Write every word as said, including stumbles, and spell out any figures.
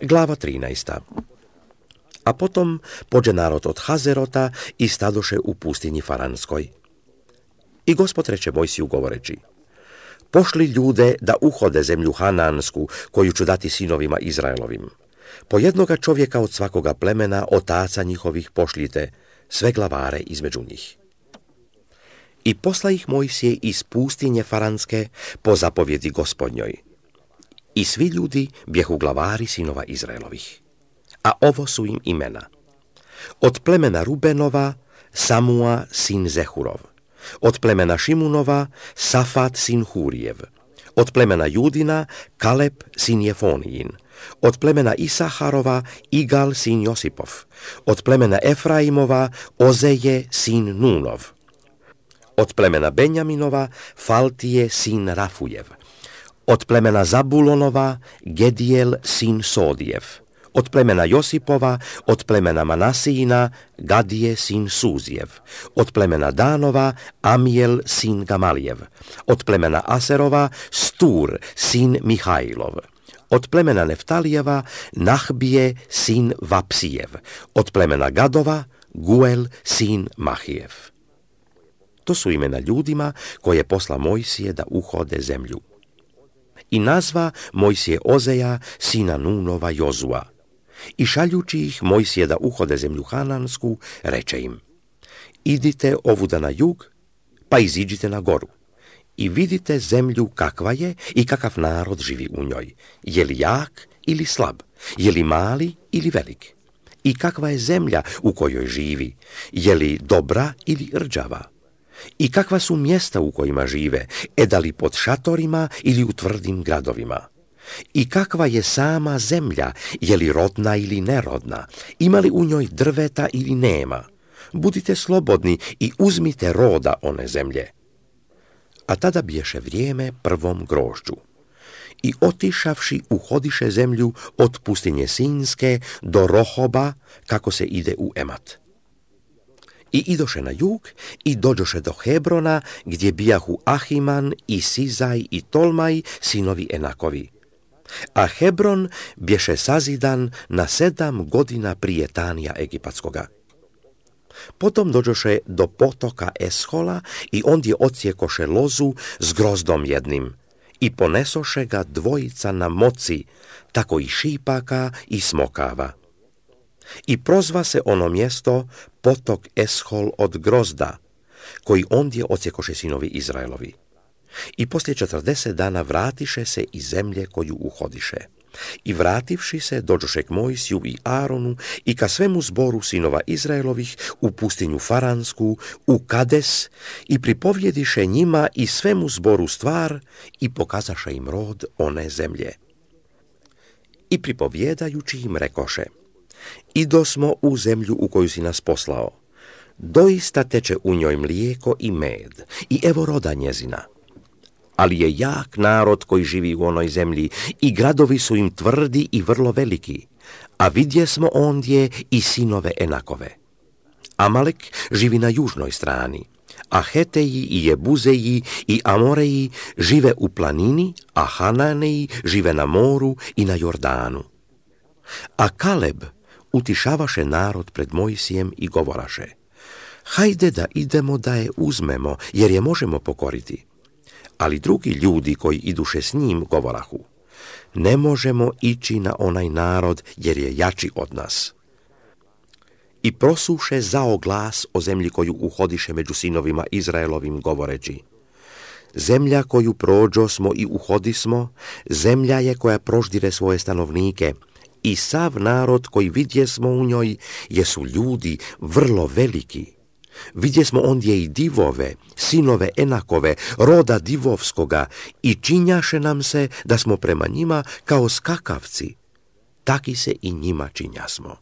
Glava trinaesta. A potom pođe narod od Hazerota i stadoše u pustinji Faranskoj. I Gospod reče Mojsiju govoreći: pošli ljude da uhode zemlju Hanansku, koju ću dati sinovima Izraelovim. Po jednoga čovjeka od svakoga plemena, otaca njihovih pošljite, sve glavare između njih. I posla ih Mojsije iz pustinje Faranske po zapovjedi Gospodnjoj. I svi ljudi bjehu glavari sinova Izraelovih. A ovo su im imena: od plemena Rubenova, Samua sin Zehurov; od plemena Šimunova, Safat sin Hurijev; od plemena Judina, Kaleb sin Jefonijin; od plemena Isaharova, Igal sin Josipov; od plemena Efraimova, Ozeje sin Nunov; od plemena Benjaminova, Faltije sin Rafujev; od plemena Zabulonova, Gedijel sin Sodijev; od plemena Josipova, od plemena Manasijina, Gadije sin Suzijev; od plemena Danova, Amijel sin Gamalijev; od plemena Aserova, Stur sin Mihajlov; od plemena Neftalijeva, Nahbije sin Vapsijev; od plemena Gadova, Guel sin Mahijev. To su imena ljudima koje posla Mojsije da uhode zemlju. I nazva Mojsije Ozeja sina Nunova Jozua. I šaljući ih Mojsije da uhode zemlju Hanansku, reče im: idite ovuda na jug, pa iziđite na goru i vidite zemlju kakva je i kakav narod živi u njoj, je li jak ili slab, je li mali ili velik, i kakva je zemlja u kojoj živi, je li dobra ili rđava, i kakva su mjesta u kojima žive, e da li pod šatorima ili u tvrdim gradovima, i kakva je sama zemlja, je li rodna ili nerodna, ima li u njoj drveta ili nema. Budite slobodni i uzmite roda one zemlje. A tada biješe vrijeme prvom grožđu. I otišavši uhodiše zemlju od pustinje Sinjske do Rohoba, kako se ide u Emat. I idoše na jug i dođoše do Hebrona, gdje bijahu Ahiman i Sizaj i Tolmaj, sinovi Enakovi. A Hebron bješe sazidan na sedam godina prije Tanija Egipatskoga. Potom dođoše do potoka Eshola i ondje odsjekoše lozu s grozdom jednim i ponesoše ga dvojica na moci, tako i šipaka i smokava. I prozva se ono mjesto potok Eshol od grozda, koji ondje odsjekoše sinovi Izraelovi. I poslije četrdeset dana vratiše se iz zemlje koju uhodiše. I vrativši se, dođoše k Mojsiju i Aronu i ka svemu zboru sinova Izraelovih u pustinju Faransku, u Kades, i pripovjediše njima i svemu zboru stvar i pokazaše im rod one zemlje. I pripovjedajući im rekoše: idosmo u zemlju u koju si nas poslao. Doista teče u njoj mlijeko i med, i evo roda njezina. Ali je jak narod koji živi u onoj zemlji i gradovi su im tvrdi i vrlo veliki, a vidjesmo ondje i sinove Enakove. Amalek živi na južnoj strani, a Heteji i Jebuzeji i Amoreji žive u planini, a Hananeji žive na moru i na Jordanu. A Kaleb utišavaše narod pred Mojsijem i govoraše: hajde da idemo da je uzmemo, jer je možemo pokoriti. Ali drugi ljudi koji iduše s njim govorahu: ne možemo ići na onaj narod, jer je jači od nas. I prosuše zao glas o zemlji koju uhodiše među sinovima Izraelovim, govoreći: zemlja koju prođosmo i uhodismo, zemlja je koja proždire svoje stanovnike, i sav narod koji vidjesmo u njoj jesu ljudi vrlo veliki. Vidjesmo ondje i divove, sinove Enakove, roda divovskoga, i činjaše nam se da smo prema njima kao skakavci. Taki se i njima činjasmo.